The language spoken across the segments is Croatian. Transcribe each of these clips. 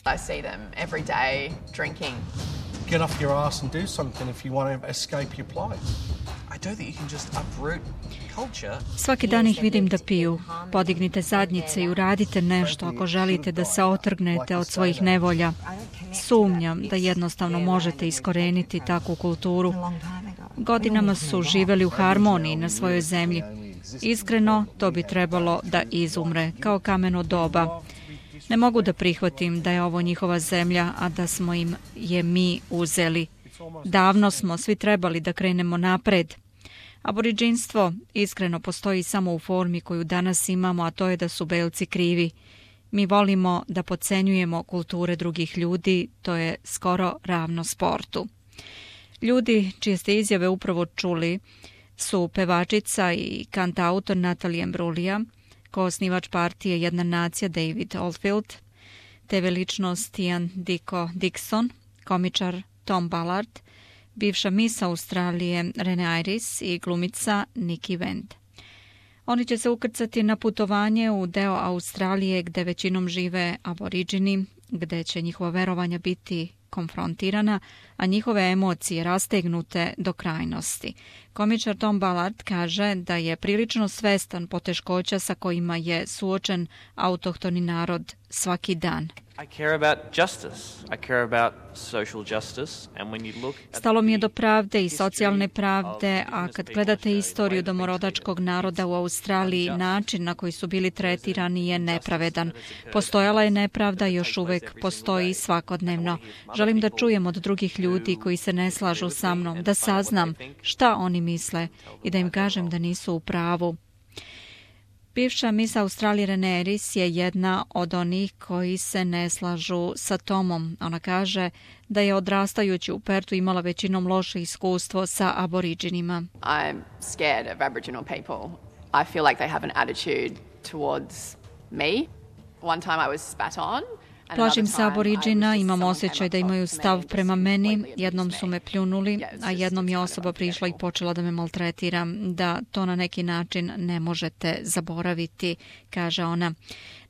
I see them every day drinking. Get off your ass and do something if you want to escape your plight. I don't think you can just uproot culture. Svaki dan ih vidim da piju. Podignite zadnjice i uradite nešto ako želite da se otrgnete od svojih nevolja. Sumnjam da jednostavno možete iskoreniti takvu kulturu. Godinama su živeli u harmoniji na svojoj zemlji. Iskreno, to bi trebalo da izumre, kao kameno doba. Ne mogu da prihvatim da je ovo njihova zemlja, a da smo im je mi uzeli. Davno smo svi trebali da krenemo napred. Aboriđinstvo iskreno postoji samo u formi koju danas imamo, a to je da su belci krivi. Mi volimo da podcenjujemo kulture drugih ljudi, to je skoro ravno sportu. Ljudi čije ste izjave upravo čuli su pevačica i kantautor Natalie Imbruglia, koosnivač partije Jedna nacija David Oldfield, TV ličnost Ian Dicko Dixon, komičar Tom Ballard, bivša Miss Australije Renee Iris i glumica Nikki Wendt. Oni će se ukrcati na putovanje u deo Australije gde većinom žive aboriđini, gde će njihova verovanja biti konfrontirana, a njihove emocije rastegnute do krajnosti. Komičar Tom Ballard kaže da je prilično svestan poteškoća sa kojima je suočen autohtoni narod svaki dan. Stalo mi je do pravde i socijalne pravde, a kad gledate istoriju domorodačkog naroda u Australiji, način na koji su bili tretirani je nepravedan. Postojala je nepravda i još uvek postoji svakodnevno. Želim da čujem od drugih ljudi koji se ne slažu sa mnom, da saznam šta oni misle i da im kažem da nisu u pravu. Bivša Miss Australije Renee Iris je jedna od onih koji se ne slažu sa Tomom. Ona kaže da je odrastajući u Pertu imala većinom loše iskustvo sa aboriđinima. I'm scared of Aboriginal people. I feel like they have an attitude towards me. One time I was spat on. Plašim se aboriđina, imam osjećaj da imaju stav prema meni, jednom su me pljunuli, a jednom je osoba prišla i počela da me maltretira, da to na neki način ne možete zaboraviti, kaže ona.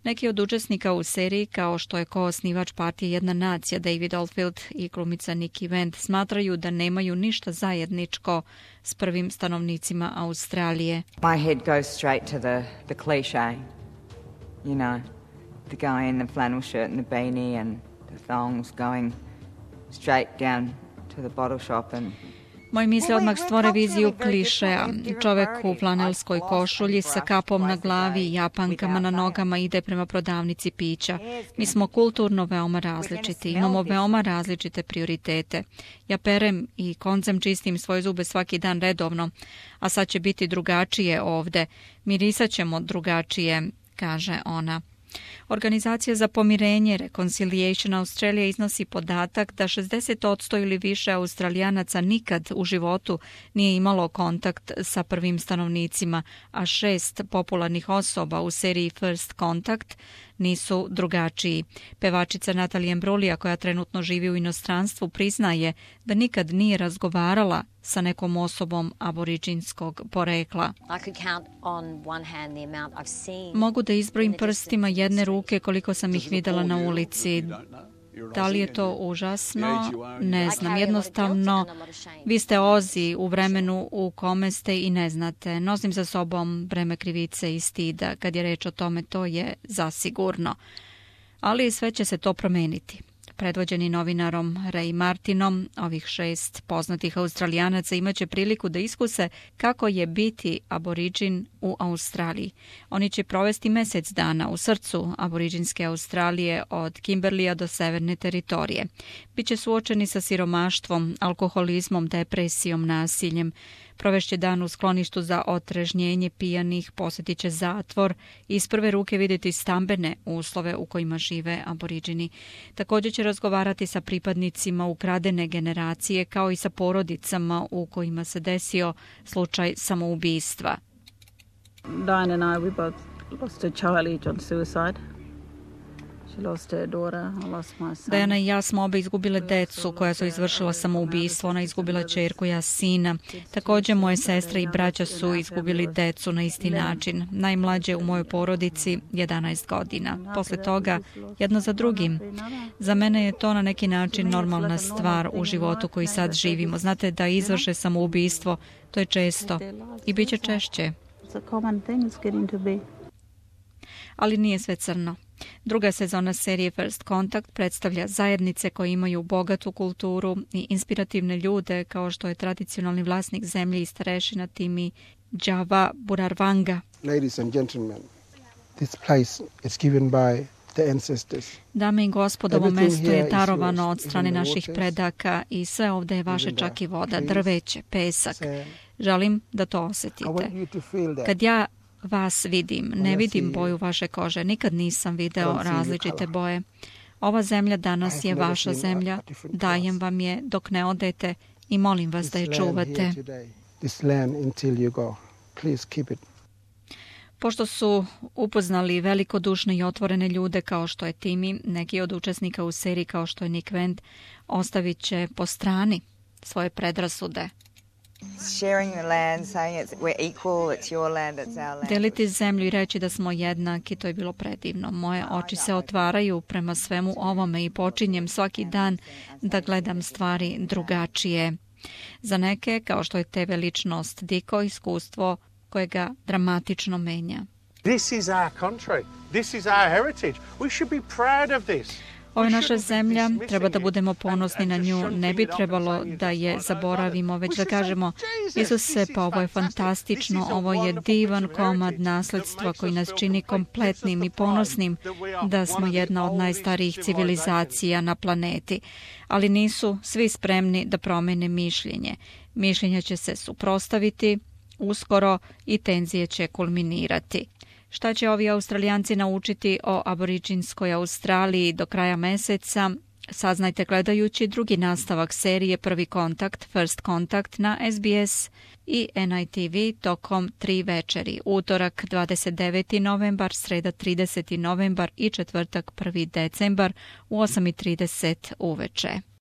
Neki od učesnika u seriji, kao što je koosnivač partije Jedna nacija David Oldfield i glumica Nikki Wendt, smatraju da nemaju ništa zajedničko s prvim stanovnicima Australije. My head goes straight to the cliché, you know. The guy in the flannel shirt and the beanie and the thongs going straight down to the bottle shop and Moje misle odmah stvore viziju klišeja. Čovek u flanelskoj košulji sa kapom na glavi i japankama na nogama ide prema prodavnici pića. Mi smo kulturno veoma različiti, imamo veoma različite prioritete. Ja perem i koncem čistim svoje zube svaki dan redovno, a sad će biti drugačije ovde. Mirisat ćemo drugačije, kaže ona. Organizacija za pomirenje Reconciliation Australia iznosi podatak da 60% ili više Australijanaca nikad u životu nije imalo kontakt sa prvim stanovnicima, a 6 popularnih osoba u seriji First Contact nisu drugačiji. Pevačica Natalie Imbruglia, koja trenutno živi u inostranstvu, priznaje da nikad nije razgovarala sa nekom osobom aboriđinskog porekla. Mogu da izbrojim prstima jedne ruke koliko sam ih videla na ulici. Da li je to užasno? Ne znam. Jednostavno, vi ste Ozi u vremenu u kome ste i ne znate. Nosim za sobom breme krivice i stida. Kad je reč o tome, to je zasigurno. Ali sve će se to promeniti. Predvođeni novinarom Ray Martinom, ovih 6 poznatih Australijanaca imaće priliku da iskuse kako je biti aboriđin u Australiji. Oni će provesti mesec dana u srcu aboriđinske Australije od Kimberleya do severne teritorije. Biće suočeni sa siromaštvom, alkoholizmom, depresijom, nasiljem. Provešće dan u skloništu za otrežnjenje pijanih, posjetit će zatvor i iz prve ruke vidjeti stambene uslove u kojima žive aboriđini. Također će razgovarati sa pripadnicima ukradene generacije kao i sa porodicama u kojima se desio slučaj samoubistva. Diane and I, we both lost a child on suicide. Diana i ja smo obe izgubile decu koja su izvršila samoubistvo. Ona izgubila ćerku, ja sina. Također moje sestre i braća su izgubili decu na isti način. Najmlađe u mojoj porodici 11 godina. Posle toga jedno za drugim. Za mene je to na neki način normalna stvar u životu koji sad živimo. Znate, da izvrše samoubistvo, to je često i bit će češće. Ali nije sve crno. Druga sezona serije First Contact predstavlja zajednice koje imaju bogatu kulturu i inspirativne ljude, kao što je tradicionalni vlasnik zemlje i starešina Timi Java Burarvanga. Ladies and gentlemen, this place is given by the ancestors. Dame i gospodo, ovo mesto je darovano od strane naših predaka i sve ovdje je vaše, čak i voda, drveće, pesak. Želim da to osjetite. Kad ja vas vidim, ne vidim boju vaše kože, nikad nisam video različite boje. Ova zemlja danas je vaša zemlja, dajem vam je dok ne odete i molim vas da je čuvate. Pošto su upoznali velikodušne i otvorene ljude kao što je Timi, neki od učesnika u seriji kao što je Nick Wendt ostavit će po strani svoje predrasude. Deliti zemlju i reći da smo jednaki, to je bilo predivno. Moje oči se otvaraju prema svemu ovome i počinjem svaki dan da gledam stvari drugačije. Za neke, kao što je TV ličnost Diko, iskustvo koje ga dramatično menja. This is our country. This is our heritage. We should be proud of this. Ovo je naša zemlja, treba da budemo ponosni na nju, ne bi trebalo da je zaboravimo, već da kažemo Isuse, pa ovo je fantastično, ovo je divan komad nasledstva koji nas čini kompletnim i ponosnim da smo jedna od najstarijih civilizacija na planeti. Ali nisu svi spremni da promene mišljenje. Mišljenja će se suprotstaviti uskoro i tenzije će kulminirati. Šta će ovi Australijanci naučiti o aboriđinskoj Australiji do kraja meseca? Saznajte gledajući drugi nastavak serije Prvi kontakt, First Contact na SBS i NITV tokom 3 večeri. Utorak 29. novembar, sreda 30. novembar i četvrtak 1. decembar u 8:30 uveče.